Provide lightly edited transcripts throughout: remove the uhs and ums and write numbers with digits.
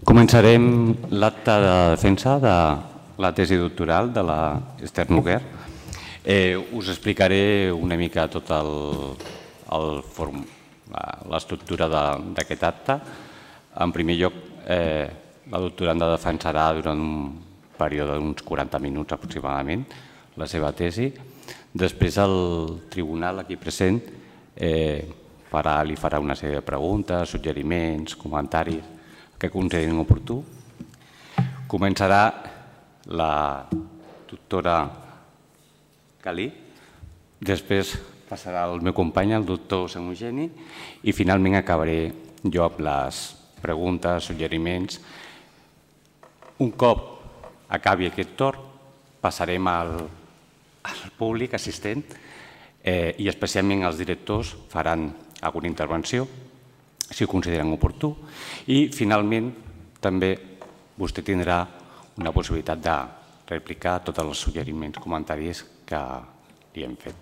Començarem l'acte de defensa de la tesi doctoral de l'Esther Noguer. Us explicaré una mica tot l'estructura d'aquest acte. En primer lloc, la doctoranda defensarà durant un període d'uns 40 minuts aproximadament la seva tesi. Després el tribunal aquí present li farà una sèrie de preguntes, suggeriments, comentaris que considerin oportú. Començarà la doctora Calí, després passarà el meu company, el doctor Samogeni, i finalment acabaré jo amb les preguntes, suggeriments. Un cop acabi aquest torn, passarem al públic assistent i especialment els directors faran alguna intervenció, si ho consideren oportú, i finalment també vostè tindrà una possibilitat de replicar tots els suggeriments, comentaris que li hem fet.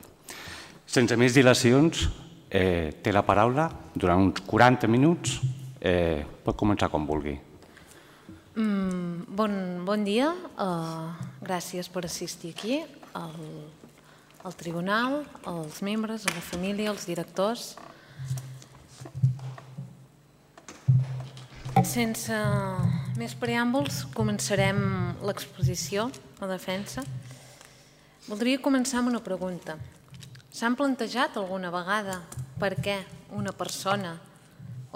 Sense més dilacions, té la paraula durant uns 40 minuts. Pot començar quan vulgui. Bon dia, gràcies per assistir aquí, al tribunal, als membres, a la família, als directors. Sense més preàmbuls, començarem l'exposició, la defensa. Voldria començar amb una pregunta. S'han plantejat alguna vegada per què una persona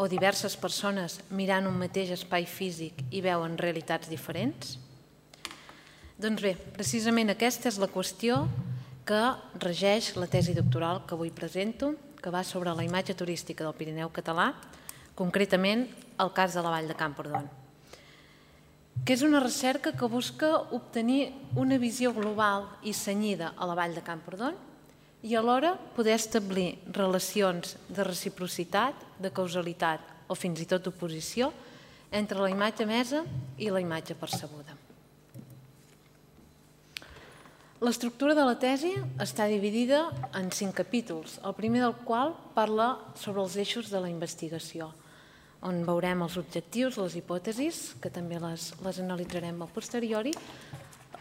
o diverses persones mirant un mateix espai físic i veuen realitats diferents? Doncs bé, precisament aquesta és la qüestió que regeix la tesi doctoral que avui presento, que va sobre la imatge turística del Pirineu català, concretament el cas de la Vall de Camprodon, que és una recerca que busca obtenir una visió global i cenyida a la Vall de Camprodon i alhora poder establir relacions de reciprocitat, de causalitat o fins i tot d'oposició entre la imatge emesa i la imatge percebuda. L'estructura de la tesi està dividida en 5 capítols, el primer del qual parla sobre els eixos de la investigació, on veurem els objectius, les hipòtesis, que també les analitzarem a posteriori,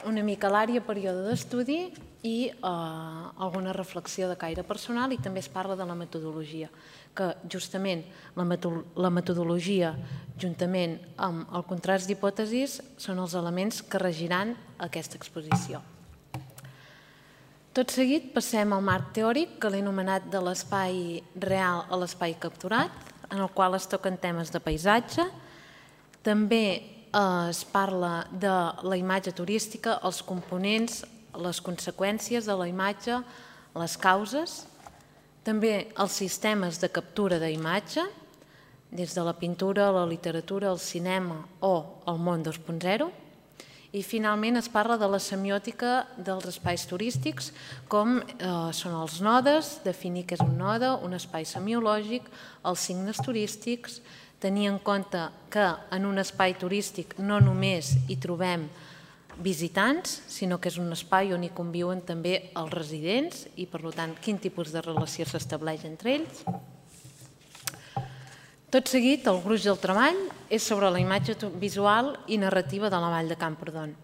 una mica l'àrea, període d'estudi i alguna reflexió de caire personal, i també es parla de la metodologia, que justament la metodologia, juntament amb el contrast d'hipòtesis, són els elements que regiran aquesta exposició. Tot seguit passem al marc teòric, que l'he anomenat de l'espai real a l'espai capturat, en el qual es toquen temes de paisatge. També es parla de la imatge turística, els components, les conseqüències de la imatge, les causes. També els sistemes de captura d'imatge, des de la pintura, la literatura, el cinema o el món 2.0. I finalment es parla de la semiòtica dels espais turístics, com són els nodes, definir què és un node, un espai semiològic, els signes turístics, tenir en compte que en un espai turístic no només hi trobem visitants, sinó que és un espai on hi conviuen també els residents i, per tant, quin tipus de relació s'estableix entre ells. Tot seguit, el gruix del treball és sobre la imatge visual i narrativa de la Vall de Camprodon.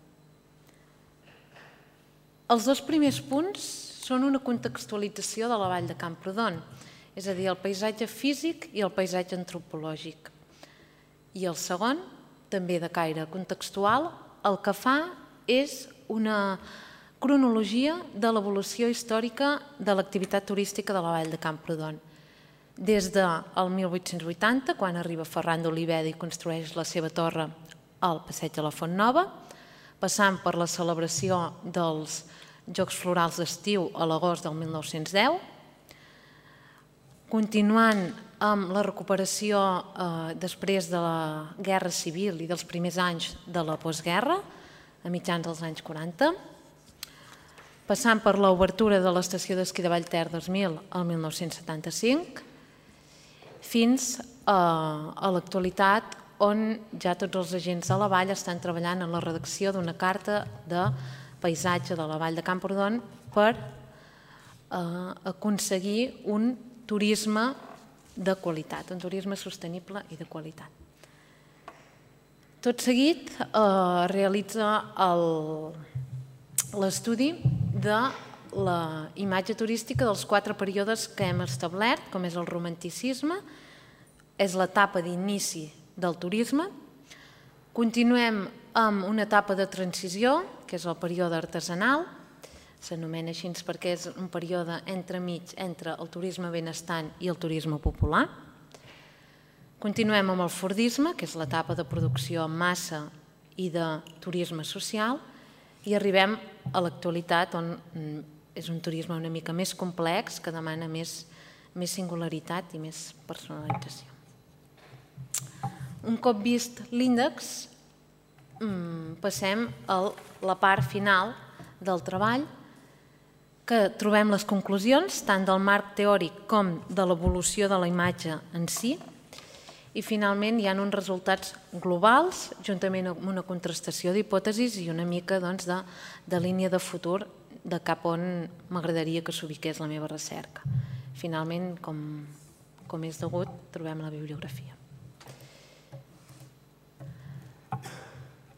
Els 2 primers punts són una contextualització de la Vall de Camprodon, és a dir, el paisatge físic i el paisatge antropològic. I el segon, també de caire contextual, el que fa és una cronologia de l'evolució històrica de l'activitat turística de la Vall de Camprodon. Des del 1880, quan arriba Ferran d'Oliveda i construeix la seva torre al passeig de la Font Nova, passant per la celebració dels Jocs Florals d'estiu a l'agost del 1910, continuant amb la recuperació després de la Guerra Civil i dels primers anys de la postguerra, a mitjans dels anys 40, passant per l'obertura de l'estació d'esquí de Vallter 2000 al 1975, fins a l'actualitat, on ja tots els agents de la vall estan treballant en la redacció d'una carta de paisatge de la Vall de Camprodon per aconseguir un turisme de qualitat, un turisme sostenible i de qualitat. Tot seguit realitza l'estudi de la imatge turística dels 4 períodes que hem establert, com és el romanticisme, és l'etapa d'inici del turisme. Continuem amb una etapa de transició, que és el període artesanal, s'anomena així perquè és un període entremig entre el turisme benestant i el turisme popular. Continuem amb el fordisme, que és l'etapa de producció en massa i de turisme social, i arribem a l'actualitat, on és un turisme una mica més complex, que demana més singularitat i més personalització. Un cop vist l'índex, passem a la part final del treball, que trobem les conclusions tant del marc teòric com de l'evolució de la imatge en si, i finalment hi ha uns resultats globals, juntament amb una contrastació d'hipòtesis i una mica de línia de futur de cap on m'agradaria que s'ubiqués la meva recerca. Finalment, com és degut, trobem la bibliografia.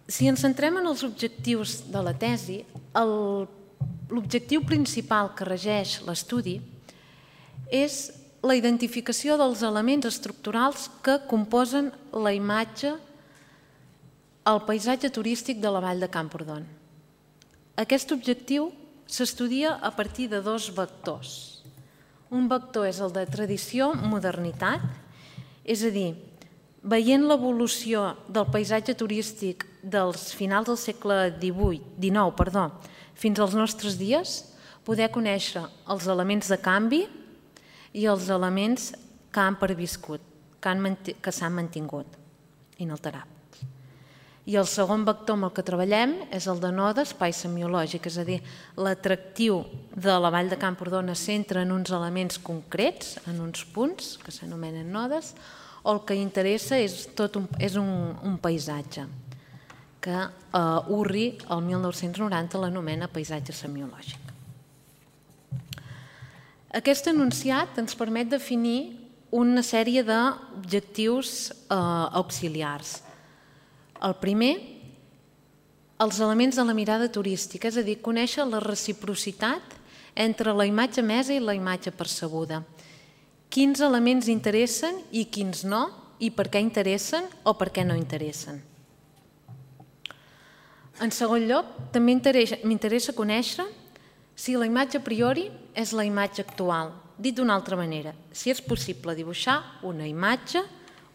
Si ens centrem en els objectius de la tesi, l'objectiu principal que regeix l'estudi és la identificació dels elements estructurals que composen la imatge al paisatge turístic de la Vall de Camprodon. Aquest objectiu s'estudia a partir de 2 vectors. Un vector és el de tradició-modernitat, és a dir, veient l'evolució del paisatge turístic dels finals del segle XIX fins als nostres dies, poder conèixer els elements de canvi i els elements que han perviscut, que s'han mantingut inalterables. I el segon vector amb el que treballem és el de node espai semiològic, és a dir, l'atractiu de la Vall de Camprodon es centra en uns elements concrets, en uns punts, que s'anomenen nodes, o el que interessa és un paisatge, que Urri, el 1990, l'anomena paisatge semiològic. Aquest enunciat ens permet definir una sèrie d'objectius auxiliars. El primer, els elements de la mirada turística, és a dir, conèixer la reciprocitat entre la imatge emesa i la imatge percebuda. Quins elements interessen i quins no, i per què interessen o per què no interessen. En segon lloc, també m'interessa conèixer si la imatge a priori és la imatge actual. Dit d'una altra manera, si és possible dibuixar una imatge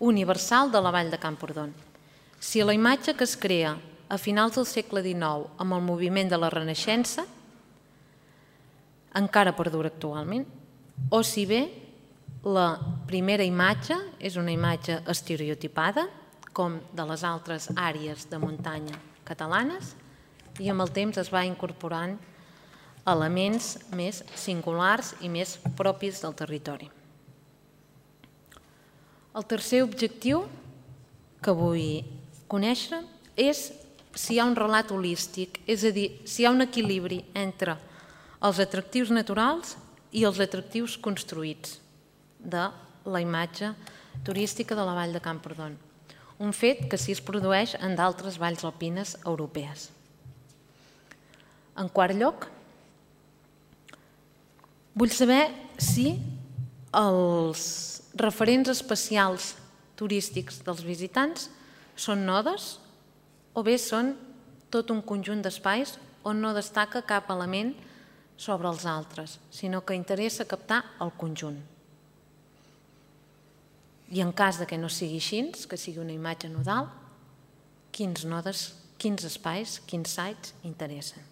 universal de la Vall de Camprodon. Si la imatge que es crea a finals del segle XIX amb el moviment de la Renaixença encara perdura actualment, o si bé la primera imatge és una imatge estereotipada, com de les altres àrees de muntanya catalanes, i amb el temps es va incorporant elements més singulars i més propis del territori. El tercer objectiu que vull conèixer és si hi ha un relat holístic, és a dir, si hi ha un equilibri entre els atractius naturals i els atractius construïts de la imatge turística de la Vall de Camprodon. Un fet que sí es produeix en d'altres valls alpines europees. En quart lloc, vull saber si els referents especials turístics dels visitants són nodes o bé són tot un conjunt d'espais on no destaca cap element sobre els altres, sinó que interessa captar el conjunt. I en cas que no sigui així, que sigui una imatge nodal, quins nodes, quins espais, quins sites interessen.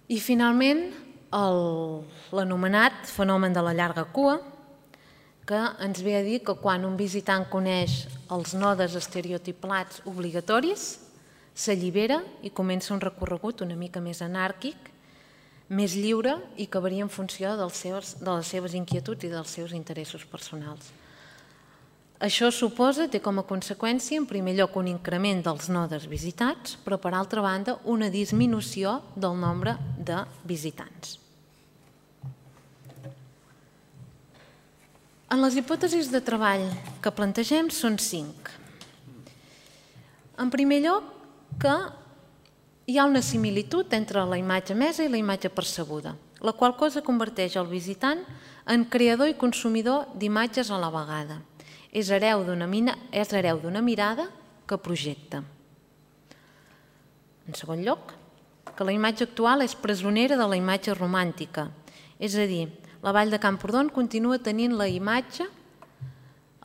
I finalment, l'anomenat fenomen de la llarga cua, que ens ve a dir que quan un visitant coneix els nodes estereotipats obligatoris, s'allibera i comença un recorregut una mica més anàrquic, més lliure i que varia en funció de les seves inquietuds i dels seus interessos personals. Això suposa, té com a conseqüència, en primer lloc, un increment dels nodes visitats, però, per altra banda, una disminució del nombre de visitants. En les hipòtesis de treball que plantegem són 5. En primer lloc, que hi ha una similitud entre la imatge emesa i la imatge percebuda, la qual cosa converteix el visitant en creador i consumidor d'imatges a la vegada. És hereu d'una mirada que projecta. En segon lloc, que la imatge actual és presonera de la imatge romàntica, és a dir, la Vall de Camprodon continua tenint la imatge,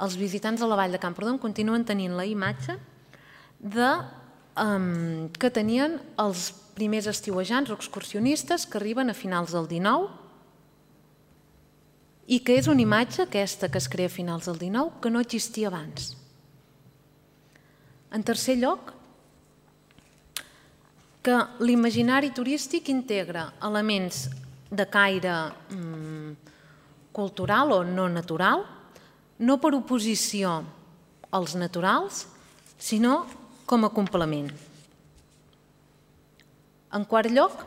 els visitants de la Vall de Camprodon continuen tenint la imatge que tenien els primers estiuejants o excursionistes que arriben a finals del XIX i que és una imatge, aquesta que es crea a finals del XIX, que no existia abans. En tercer lloc, que l'imaginari turístic integra elements de caire cultural o no natural, no per oposició als naturals, sinó com a complement. En quart lloc,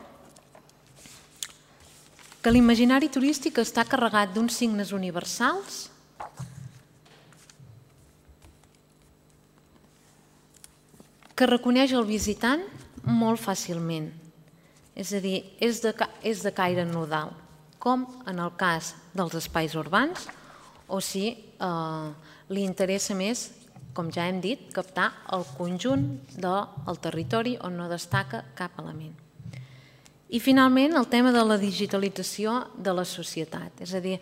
que l'imaginari turístic està carregat d'uns signes universals que reconeix el visitant molt fàcilment. És a dir, és de caire nodal, com en el cas dels espais urbans, o si li interessa més, com ja hem dit, captar el conjunt del territori on no destaca cap element. I finalment el tema de la digitalització de la societat, és a dir,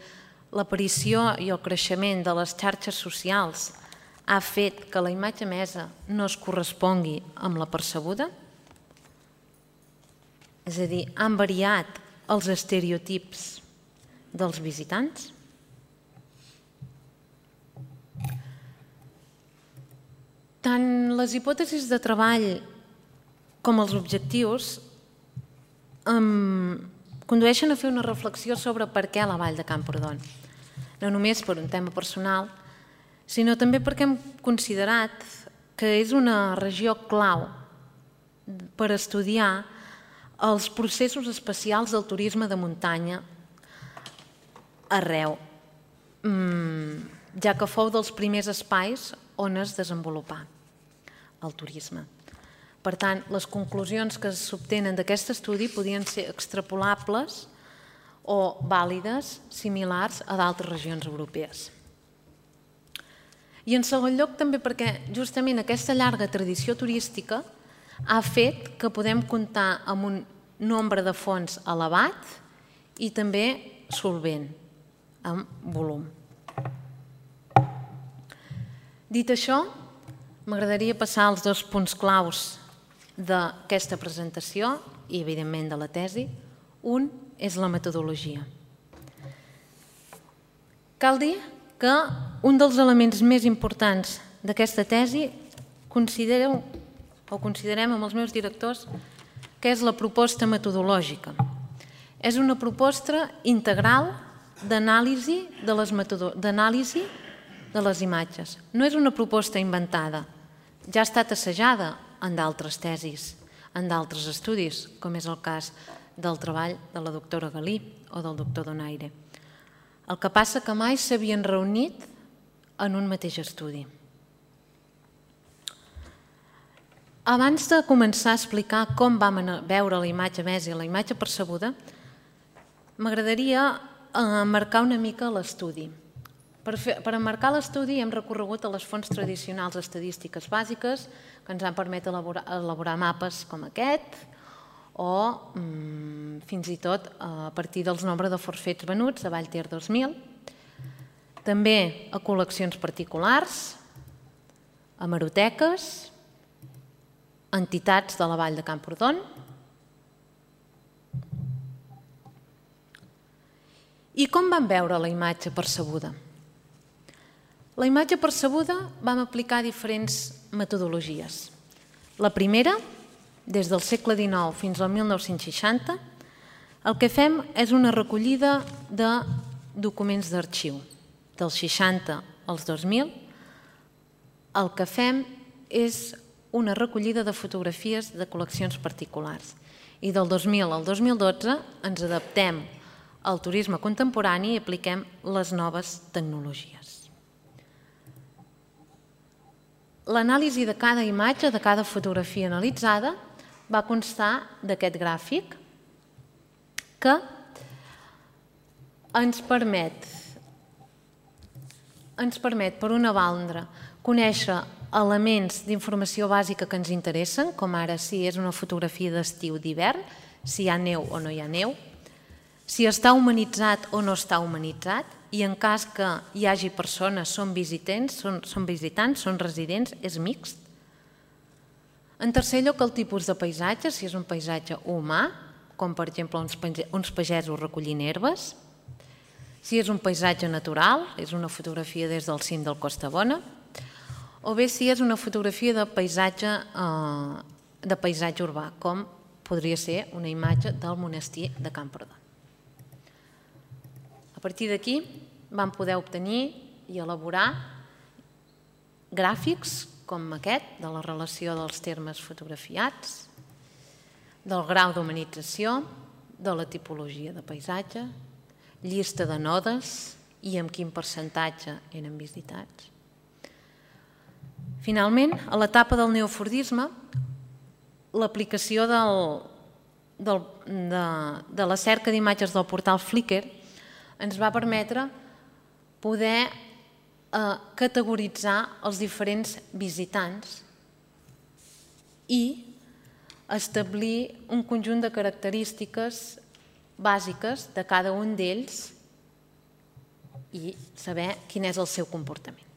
l'aparició i el creixement de les xarxes socials ha fet que la imatge emesa no es correspongui amb la percebuda, és a dir, han variat els estereotips dels visitants. Tant les hipòtesis de treball com els objectius condueixen a fer una reflexió sobre per què la Vall de Camprodon. No només per un tema personal, sinó també perquè hem considerat que és una regió clau per estudiar els processos especials del turisme de muntanya arreu, ja que fou dels primers espais on es desenvolupà el turisme. Per tant, les conclusions que s'obtenen d'aquest estudi podien ser extrapolables o vàlides, similars a d'altres regions europees. I en segon lloc també perquè justament aquesta llarga tradició turística ha fet que podem comptar amb un nombre de fons elevat i també solvent, amb volum. Dit això, m'agradaria passar als dos punts claus d'aquesta presentació i, evidentment, de la tesi. Un és la metodologia. Cal dir que un dels elements més importants d'aquesta tesi considerem amb els meus directors que és la proposta metodològica. És una proposta integral d'anàlisi de les imatges. No és una proposta inventada, ja ha estat assajada en d'altres tesis, en d'altres estudis, com és el cas del treball de la doctora Galí o del doctor Donaire. El que passa que mai s'havien reunit en un mateix estudi. Abans de començar a explicar com vam veure la imatge emesa i la imatge percebuda, m'agradaria marcar una mica l'estudi. Per emmarcar l'estudi hem recorregut a les fonts tradicionals estadístiques bàsiques que ens han permès elaborar mapes com aquest o fins i tot a partir dels nombres de forfets venuts a Vallter 2000, també a col·leccions particulars, a hemeroteques, entitats de la Vall de Camprodon i com vam veure la imatge percebuda. La imatge percebuda vam aplicar diferents metodologies. La primera, des del segle XIX fins al 1960, el que fem és una recollida de documents d'arxiu. Dels 60 als 2000, el que fem és una recollida de fotografies de col·leccions particulars. I del 2000 al 2012 ens adaptem al turisme contemporani i apliquem les noves tecnologies. L'anàlisi de cada imatge, de cada fotografia analitzada, va constar d'aquest gràfic que ens permet, per una banda, conèixer elements d'informació bàsica que ens interessen, com ara si és una fotografia d'estiu d'hivern, si hi ha neu o no hi ha neu, si està humanitzat o no està humanitzat, i en cas que hi hagi persones, són visitants, són residents, és mixt. En tercer lloc, el tipus de paisatge, si és un paisatge humà, com per exemple uns pagesos recollint herbes, si és un paisatge natural, és una fotografia des del cim del Costa Bona, o bé si és una fotografia de paisatge urbà, com podria ser una imatge del monestir de Camprodon. A partir d'aquí vam poder obtenir i elaborar gràfics com aquest, de la relació dels termes fotografiats, del grau d'humanització, de la tipologia de paisatge, llista de nodes i amb quin percentatge eren visitats. Finalment, a l'etapa del neofordisme, l'aplicació de la cerca d'imatges del portal Flickr ens va permetre poder categoritzar els diferents visitants i establir un conjunt de característiques bàsiques de cada un d'ells i saber quin és el seu comportament.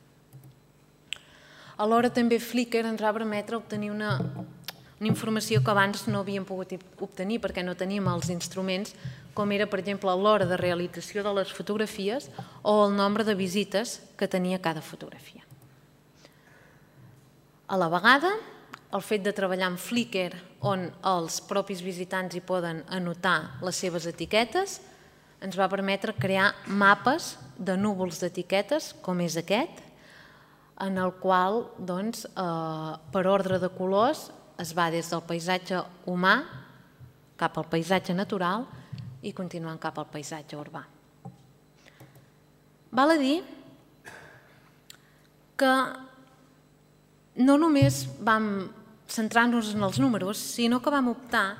Alhora també Flickr ens va permetre obtenir una informació que abans no havíem pogut obtenir perquè no teníem els instruments, com era, per exemple, l'hora de realització de les fotografies o el nombre de visites que tenia cada fotografia. A la vegada, el fet de treballar amb Flickr, on els propis visitants hi poden anotar les seves etiquetes, ens va permetre crear mapes de núvols d'etiquetes, com és aquest, en el qual, per ordre de colors, es va des del paisatge humà cap al paisatge natural i continuant cap al paisatge urbà. Val a dir que no només vam centrar-nos en els números, sinó que vam optar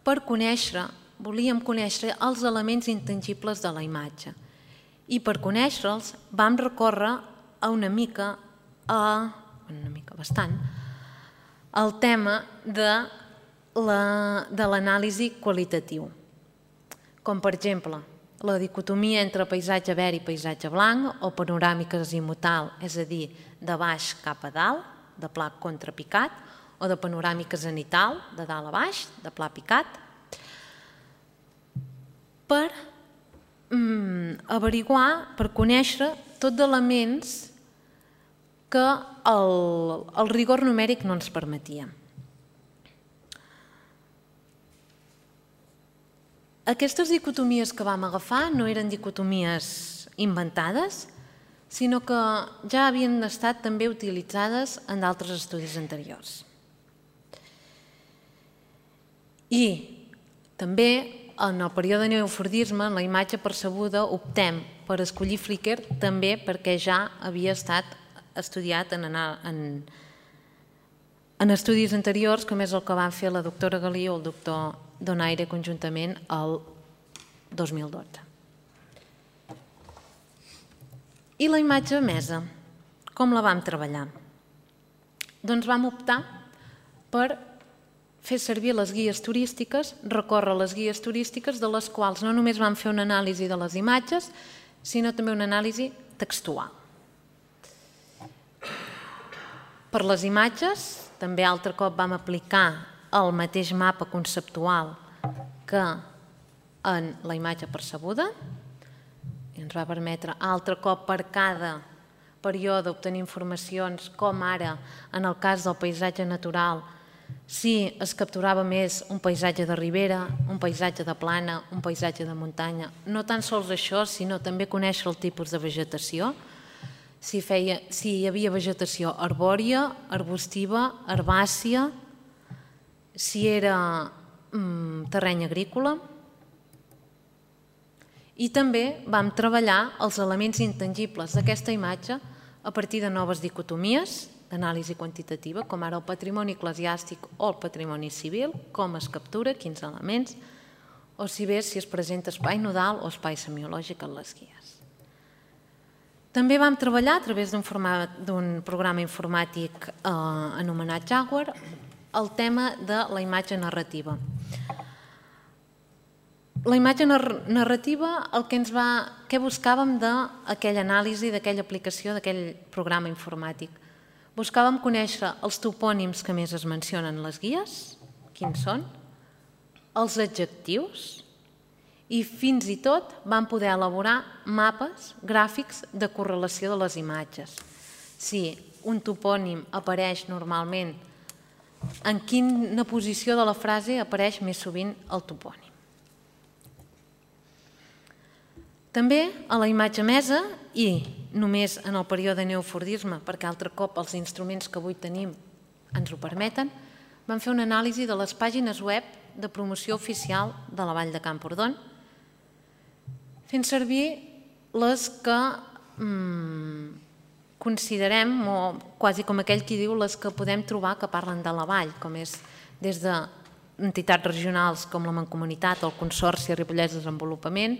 per volíem conèixer els elements intangibles de la imatge. I per conèixer-los vam recórrer bastant, el tema de l'anàlisi qualitatiu, com per exemple la dicotomia entre paisatge verd i paisatge blanc o panoràmica azimutal, és a dir, de baix cap a dalt, de pla contrapicat, o de panoràmica zenital, de dalt a baix, de pla picat, per averiguar, per conèixer tot d'elements que el rigor numèric no ens permetia. Aquestes dicotomies que vam agafar no eren dicotomies inventades, sinó que ja havien estat també utilitzades en d'altres estudis anteriors. I també en el període de neofordisme, en la imatge percebuda, optem per escollir Flickr també perquè ja havia estat estudiat en estudis anteriors, com és el que van fer la doctora Galí o el doctor Donaire conjuntament el 2012. I la imatge emesa, com la vam treballar? Doncs vam optar per fer servir les guies turístiques, recórrer les guies turístiques, de les quals no només vam fer una anàlisi de les imatges, sinó també una anàlisi textual. Per les imatges, també altre cop vam aplicar el mateix mapa conceptual que en la imatge percebuda i ens va permetre altre cop per cada període obtenir informacions, com ara en el cas del paisatge natural, si es capturava més un paisatge de ribera, un paisatge de plana, un paisatge de muntanya. No tan sols això, sinó també conèixer el tipus de vegetació, si hi havia vegetació arbòria, arbustiva, herbàcia, si era terreny agrícola. I també vam treballar els elements intangibles d'aquesta imatge a partir de noves dicotomies d'anàlisi quantitativa, com ara el patrimoni eclesiàstic o el patrimoni civil, com es captura, quins elements, o si bé si es presenta espai nodal o espai semiològic en les guies. També vam treballar a través d'un programa informàtic anomenat Jaguar el tema de la imatge narrativa. La imatge narrativa, què buscàvem d'aquella anàlisi, d'aquella aplicació, d'aquell programa informàtic? Buscàvem conèixer els topònims que més es mencionen en les guies, quins són, els adjectius, i fins i tot vam poder elaborar mapes gràfics de correlació de les imatges. Si un topònim apareix normalment, en quina posició de la frase apareix més sovint el topònim. També a la imatge emesa, i només en el període de neofordisme, perquè altre cop els instruments que avui tenim ens ho permeten, vam fer una anàlisi de les pàgines web de promoció oficial de la Vall de Camprodon, fent servir les que considerem, o quasi com aquell qui diu, les que podem trobar que parlen de la Vall, com és des d'entitats regionals com la Mancomunitat o el Consorci Ripollès Desenvolupament,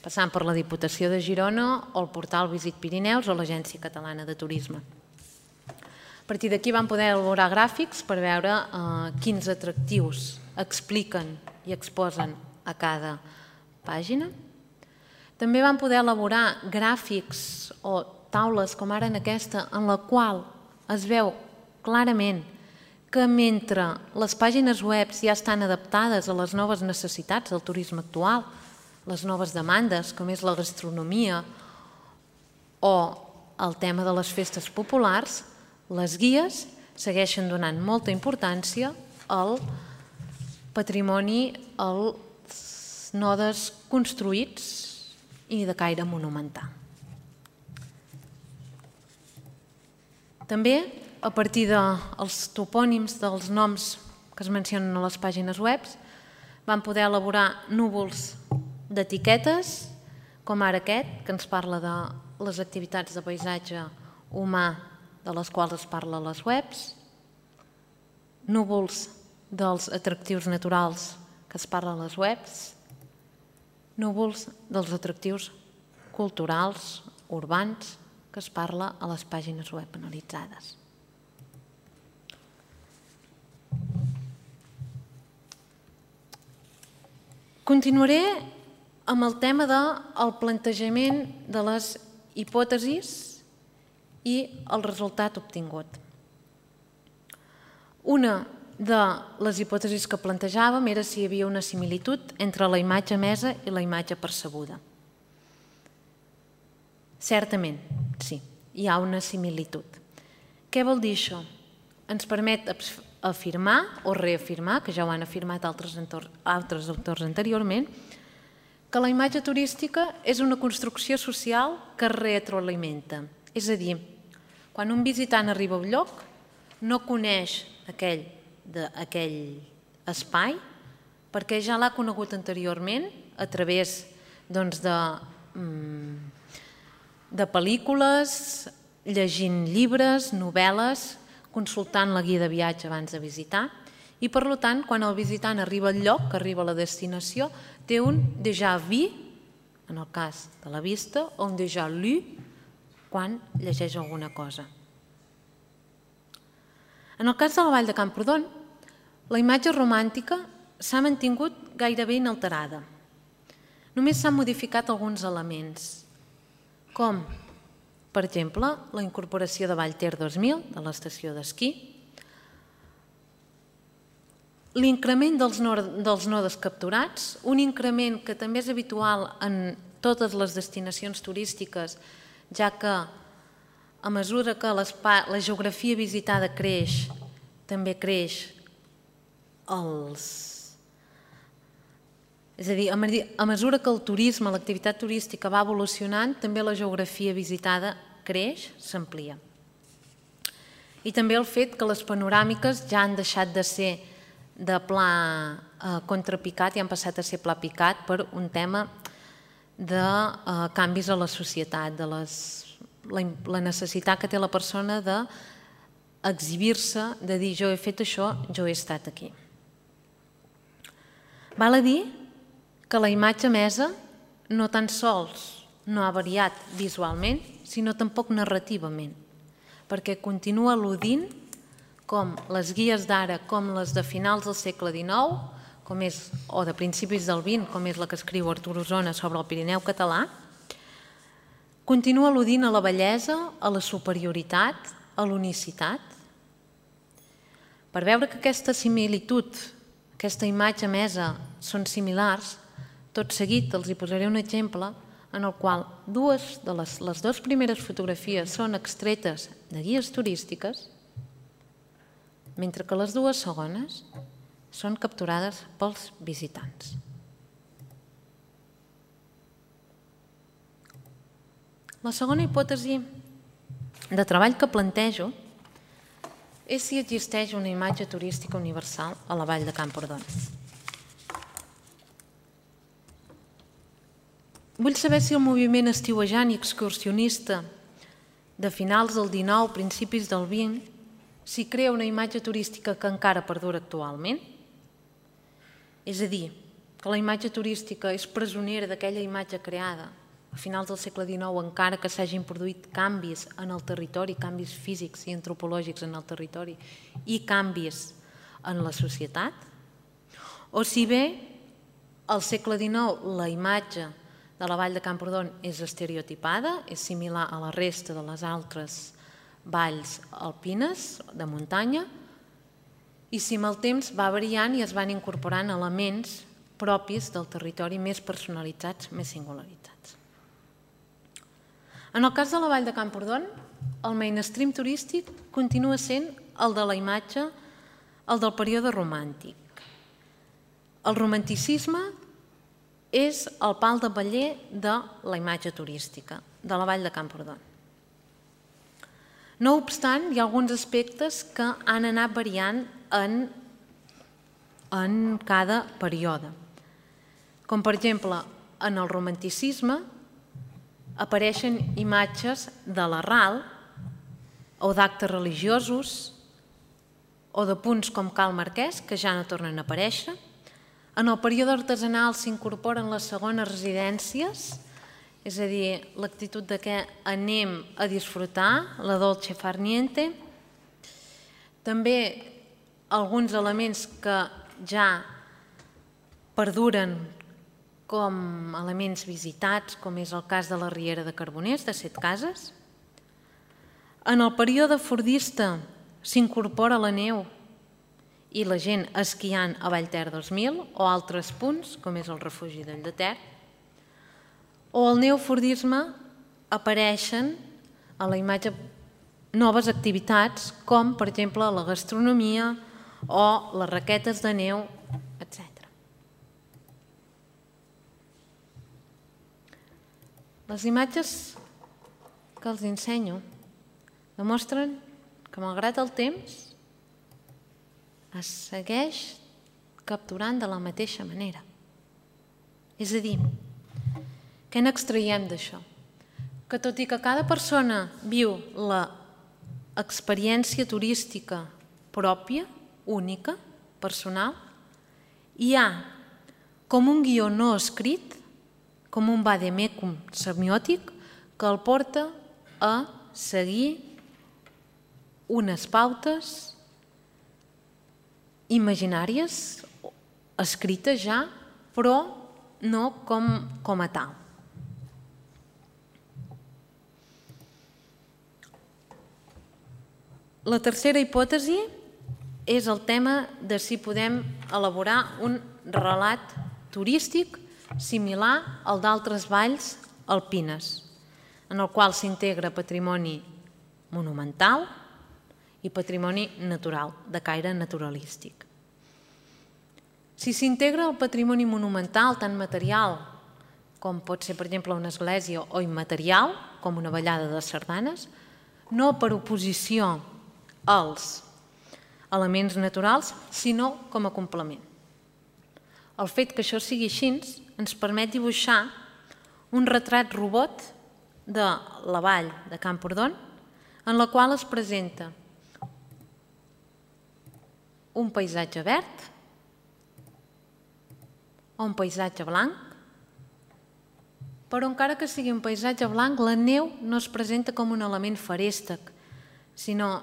passant per la Diputació de Girona o el portal Visit Pirineus o l'Agència Catalana de Turisme. A partir d'aquí vam poder elaborar gràfics per veure quins atractius expliquen i exposen a cada pàgina. També vam poder elaborar gràfics o taules com ara en aquesta, en la qual es veu clarament que mentre les pàgines web ja estan adaptades a les noves necessitats del turisme actual, les noves demandes, com és la gastronomia o el tema de les festes populars, les guies segueixen donant molta importància al patrimoni, als nodes construïts i de caire monumental. També, a partir dels topònims dels noms que es mencionen a les pàgines web, vam poder elaborar núvols d'etiquetes, com ara aquest, que ens parla de les activitats de paisatge humà de les quals es parla a les webs, núvols dels atractius naturals que es parla a les webs, núvols dels atractius culturals, urbans, que es parla a les pàgines web analitzades. Continuaré amb el tema del plantejament de les hipòtesis i el resultat obtingut. Una de les hipòtesis que plantejàvem era si hi havia una similitud entre la imatge emesa i la imatge percebuda. Certament, sí, hi ha una similitud. Què vol dir això? Ens permet afirmar o reafirmar, que ja ho han afirmat altres autors anteriorment, que la imatge turística és una construcció social que es retroalimenta. És a dir, quan un visitant arriba a un lloc, no coneix aquell espai perquè ja l'ha conegut anteriorment a través de pel·lícules, llegint llibres, novel·les, consultant la guia de viatge abans de visitar, i per tant, quan el visitant arriba al lloc, que arriba a la destinació, té un déjà vu, en el cas de la vista, o un déjà lu, quan llegeix alguna cosa. En el cas de la Vall de Camprodon, la imatge romàntica s'ha mantingut gairebé inalterada. Només s'han modificat alguns elements, com, per exemple, la incorporació de Vallter 2000, de l'estació d'esquí, l'increment dels nodes capturats, un increment que també és habitual en totes les destinacions turístiques, ja que a mesura que la geografia visitada creix, també creix És a dir, a mesura que el turisme, l'activitat turística va evolucionant, també la geografia visitada creix, s'amplia. I també el fet que les panoràmiques ja han deixat de ser de pla contrapicat i han passat a ser pla picat per un tema de canvis a la societat, de la necessitat que té la persona de exhibir-se, de dir jo he fet això, jo he estat aquí. Val a dir que la imatge emesa no tan sols no ha variat visualment, sinó tampoc narrativament, perquè continua al·ludint com les guies d'ara, com les de finals del segle XIX, o de principis del XX, com és la que escriu Artur Osona sobre el Pirineu català, continua al·ludint a la bellesa, a la superioritat, a l'unicitat. Per veure que aquesta similitud, aquesta imatge emesa, són similars, tot seguit els hi posaré un exemple en el qual les dues primeres fotografies són extretes de guies turístiques, mentre que les dues segones són capturades pels visitants. La segona hipòtesi de treball que plantejo és si existeix una imatge turística universal a la vall de Camprodon. Vull saber si el moviment estiuejant i excursionista de finals del XIX, principis del XX, s'hi crea una imatge turística que encara perdura actualment. És a dir, que la imatge turística és presonera d'aquella imatge creada a finals del segle XIX, encara que s'hagin produït canvis en el territori, canvis físics i antropològics en el territori i canvis en la societat. O si bé al segle XIX la imatge de la vall de Camprodon és estereotipada, és similar a la resta de les altres valls alpines de muntanya, i si amb el temps va variant i es van incorporant elements propis del territori més personalitzats, més singularitzats. En el cas de la vall de Camprodon, el mainstream turístic continua sent el de la imatge, el del període romàntic. El romanticisme és el pal de paller de la imatge turística de la vall de Camprodon. No obstant, hi ha alguns aspectes que han anat variant en cada període. Com per exemple, en el romanticisme apareixen imatges de la ral o d'actes religiosos o de punts com Cal Marquès, que ja no tornen a aparèixer. En el període artesanal s'incorporen les segones residències, és a dir, l'actitud de que anem a disfrutar, la dolce far niente. També alguns elements que ja perduren com elements visitats, com és el cas de la Riera de Carboners, de Setcases. En el període fordista s'incorpora la neu i la gent esquiant a Vallter 2000 o altres punts, com és el refugi del Llater. O al neofordisme apareixen a la imatge noves activitats, com per exemple la gastronomia o les raquetes de neu, etc. Les imatges que els ensenyo demostren que, malgrat el temps, es segueix capturant de la mateixa manera. És a dir, què n'extraiem d'això? Que tot i que cada persona viu l'experiència turística pròpia, única, personal, hi ha com un guió no escrit, com un vademecum semiòtic, que el porta a seguir unes pautes imaginàries, escrites ja, però no com a tal. La tercera hipòtesi és el tema de si podem elaborar un relat turístic similar al d'altres valls alpines, en el qual s'integra patrimoni monumental i patrimoni natural, de caire naturalístic. Si s'integra el patrimoni monumental, tant material com pot ser, per exemple, una església, o immaterial, com una ballada de sardanes, no per oposició als elements naturals, sinó com a complement. El fet que això sigui així ens permet dibuixar un retrat robot de la vall de Camprodon, en la qual es presenta un paisatge verd o un paisatge blanc, però encara que sigui un paisatge blanc, la neu no es presenta com un element feréstec, sinó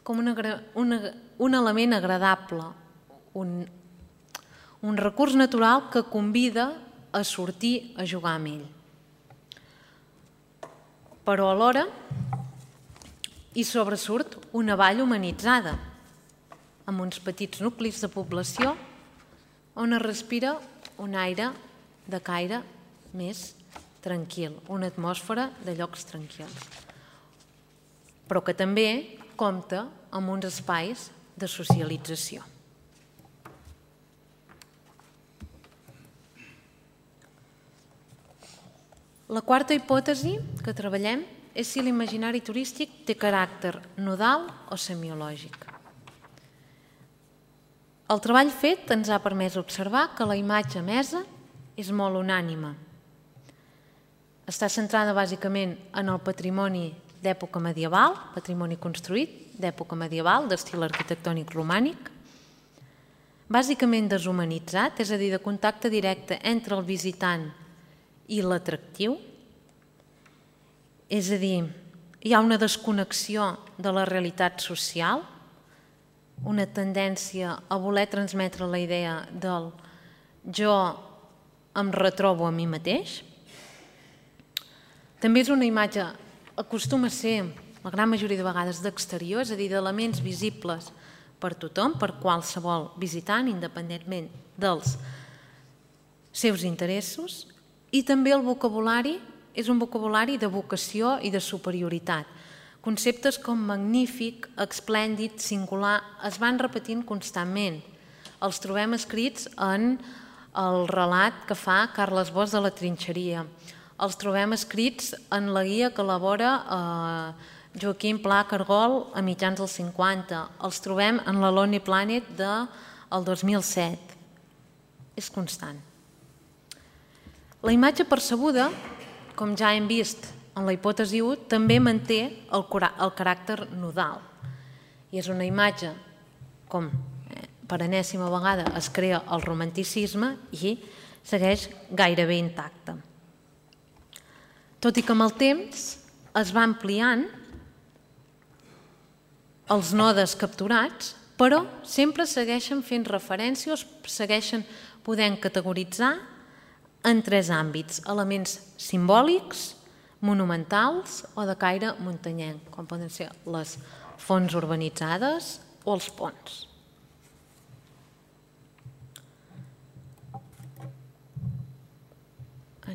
com un element agradable, un recurs natural que convida a sortir a jugar amb ell. Però alhora hi sobresurt una vall humanitzada, amb uns petits nuclis de població on es respira un aire de caire més tranquil, una atmosfera de llocs tranquils, però que també compta amb uns espais de socialització. La quarta hipòtesi que treballem és si l'imaginari turístic té caràcter nodal o semiològic. El treball fet ens ha permès observar que la imatge emesa és molt unànime. Està centrada bàsicament en el patrimoni d'època medieval, patrimoni construït d'època medieval, d'estil arquitectònic romànic, bàsicament deshumanitzat, és a dir, de contacte directe entre el visitant i l'atractiu, és a dir, hi ha una desconnexió de la realitat social, una tendència a voler transmetre la idea del jo em retrobo a mi mateix. També és una imatge, acostuma a ser, la gran majoria de vegades, d'exterior, és a dir, d'elements visibles per tothom, per qualsevol visitant, independentment dels seus interessos, i també el vocabulari és un vocabulari de vocació i de superioritat. Conceptes com magnífic, esplèndid, singular, es van repetint constantment. Els trobem escrits en el relat que fa Carles Bosch de la Trinxeria. Els trobem escrits en la guia que elabora Joaquim Pla Cargol a mitjans dels 50. Els trobem en la Lonely Planet del 2007. És constant. La imatge percebuda, com ja hem vist en la hipòtesi 1, també manté el caràcter nodal. I és una imatge, com per enèsima vegada es crea el romanticisme i segueix gairebé intacte. Tot i que amb el temps es va ampliant els nodes capturats, però sempre segueixen fent referència o segueixen podent categoritzar en tres àmbits: elements simbòlics, monumentals o de caire muntanyenc, com poden ser les fonts urbanitzades o els ponts.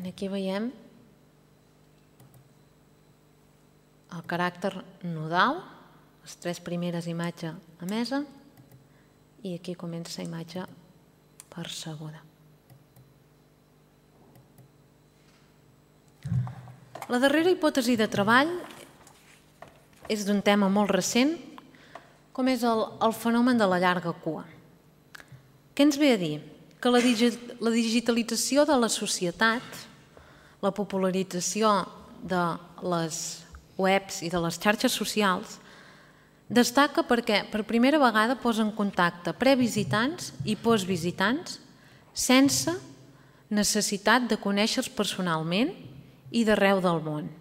Aquí veiem el caràcter nodal, les tres primeres imatges emesa, i aquí comença la imatge percebuda. La darrera hipòtesi de treball és d'un tema molt recent, com és el fenomen de la llarga cua. Què ens ve a dir? Que la digitalització de la societat, la popularització de les webs i de les xarxes socials destaca perquè per primera vegada posa en contacte previsitants i postvisitants sense necessitat de conèixer-los personalment i d'arreu del món.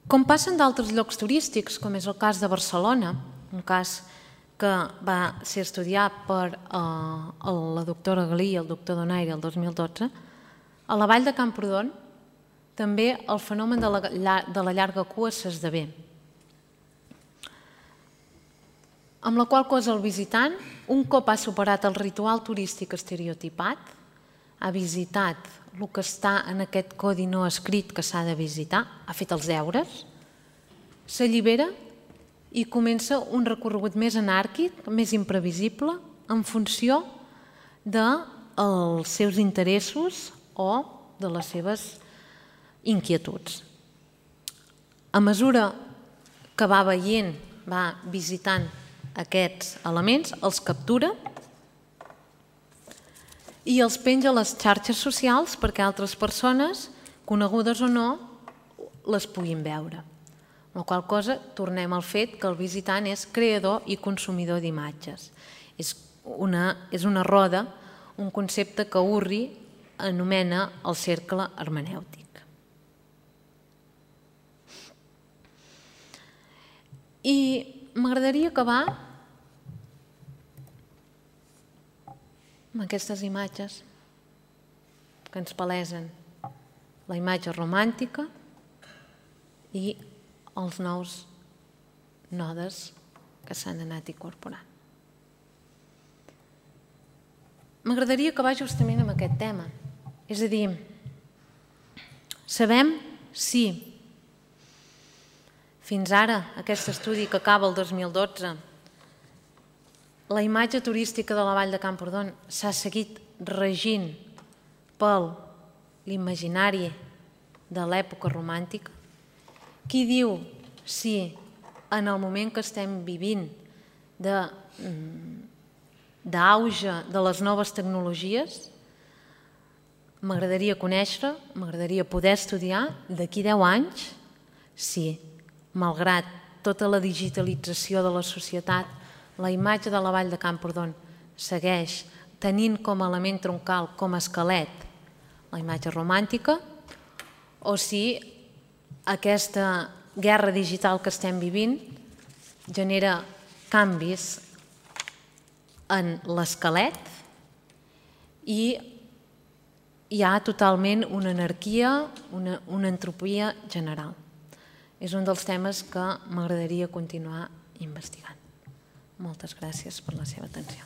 Com passen d'altres llocs turístics, com és el cas de Barcelona, un cas que va ser estudiat per la doctora Galí i el doctor Donaire el 2012, a la vall de Camprodon també el fenomen de la llarga cua s'esdevé, amb la qual cosa el visitant, un cop ha superat el ritual turístic estereotipat, ha visitat el que està en aquest codi no escrit que s'ha de visitar, ha fet els deures, s'allibera i comença un recorregut més anàrquic, més imprevisible, en funció dels seus interessos o de les seves inquietuds. A mesura que va veient, va visitant aquests elements, els captura i els penja a les xarxes socials perquè altres persones, conegudes o no, les puguin veure. amb la qual cosa tornem al fet que el visitant és creador i consumidor d'imatges. És una roda, un concepte que Urri anomena el cercle hermenèutic. I m'agradaria acabar amb aquestes imatges que ens palesen la imatge romàntica i els nous nodes que s'han anat incorporant. M'agradaria acabar justament amb aquest tema. És a dir, sabem si fins ara, aquest estudi que acaba el 2012, la imatge turística de la Vall de Camprodon s'ha seguit regint per l'imaginari de l'època romàntica. Qui diu si en el moment que estem vivint d'auge de les noves tecnologies, m'agradaria conèixer, m'agradaria poder estudiar d'aquí 10 anys si, malgrat tota la digitalització de la societat, la imatge de la Vall de Camprodon segueix tenint com a element troncal, com a esquelet, la imatge romàntica, o si aquesta guerra digital que estem vivint genera canvis en l'esquelet i hi ha totalment una anarquia, una entropia general. És un dels temes que m'agradaria continuar investigant. Moltes gràcies per la seva atenció.